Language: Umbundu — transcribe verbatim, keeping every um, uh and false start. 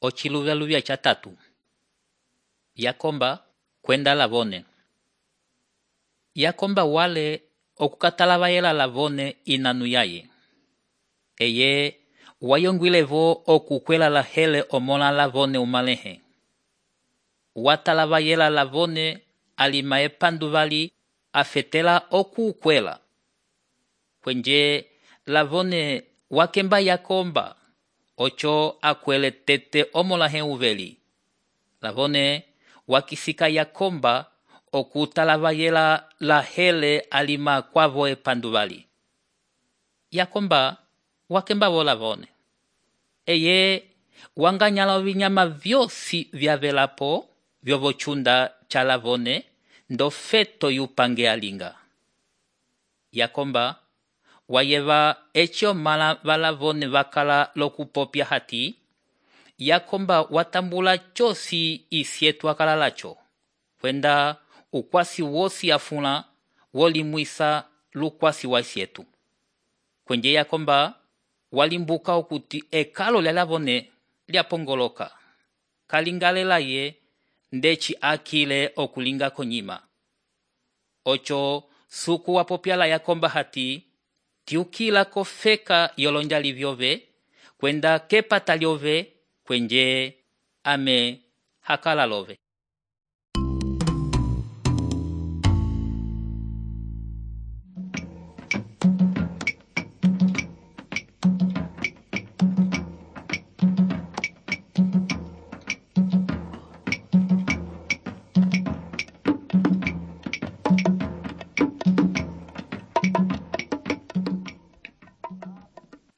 Ociluvyaluvya ca tatu. Yakomba kwenda lavone. Yakomba wale okukatalavaela lavone inanu yaye. Eye wayongwilevo okukwela lahele omona lavone umalehe. Watalavayela lavone alima epanduvali afetela okukwela. Kwenje lavone wakemba yakomba ocho akwele tete omolahe uveli. Lavone wakisika yakomba okutalavayela lahele alima kwavo epanduvali. Yakomba wakemba vo lavone. Eye wanganyala vinyama vyosi vyavelapo vyovochunda cha lavone ndo feto yupange alinga. Yakomba wayeva echo mala valavone vakala lokupopya hati. Yakomba watambula chosi isietu akala lacho. Kwenda ukwasi wosi afuna wolimwisa lukwasi wa isietu. Kwenye Yakomba walimbuka okuti ekalo lya lavone lya pongoloka. Kalingalela ye ndechi akile okulinga konyima. Ocho suku wapopyala Yakomba hati tiukila kofeka yolonjali vyove kwenda kepata lyove kwenje ame hakala love.